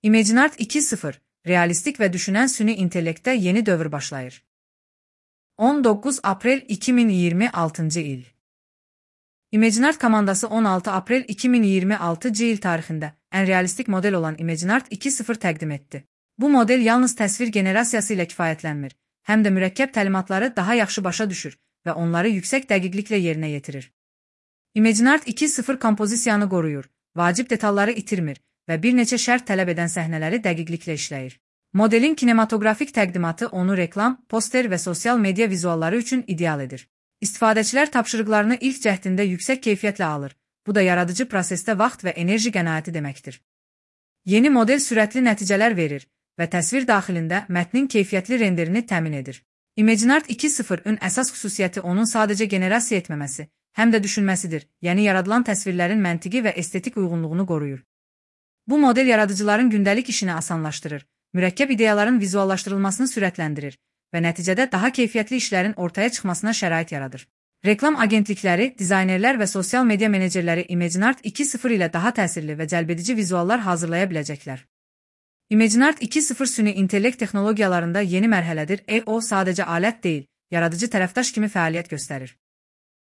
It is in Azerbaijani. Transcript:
ImageNet 2.0, realistik və düşünən süni intellektdə yeni dövr başlayır. 19 aprel 2026-cı il. ImageNet komandası 16 aprel 2026-cı il tarixində ən realistik model olan ImageNet 2.0 təqdim etdi. Bu model yalnız təsvir generasiyası ilə kifayətlənmir, həm də mürəkkəb təlimatları daha yaxşı başa düşür və onları yüksək dəqiqliklə yerinə yetirir. ImageNet 2.0 kompozisiyanı qoruyur, vacib detalları itirmir və bir neçə şərt tələb edən səhnələri dəqiqliklə işləyir. Modelin kinematografik təqdimatı onu reklam, poster və sosial media vizualları üçün ideal edir. İstifadəçilər tapşırıqlarını ilk cəhdində yüksək keyfiyyətlə alır. Bu da yaradıcı prosesdə vaxt və enerji qənaəti deməkdir. Yeni model sürətli nəticələr verir və təsvir daxilində mətnin keyfiyyətli renderini təmin edir. ImageNet 2.0-ın əsas xüsusiyyəti onun sadəcə generasiya etməməsi, həm də düşünməsidir, yəni yaradılan təsvirlərin məntiqi və estetik uyğunluğunu qoruyur. Bu model yaradıcıların gündəlik işini asanlaşdırır, mürəkkəb ideyaların vizuallaşdırılmasını sürətləndirir və nəticədə daha keyfiyyətli işlərin ortaya çıxmasına şərait yaradır. Reklam agentlikləri, dizaynerlər və sosial media menecerləri ImageNet 2.0 ilə daha təsirli və cəlbedici vizuallar hazırlaya biləcəklər. ImageNet 2.0 süni intellekt texnologiyalarında yeni mərhələdir. O sadəcə alət deyil, yaradıcı tərəfdaş kimi fəaliyyət göstərir.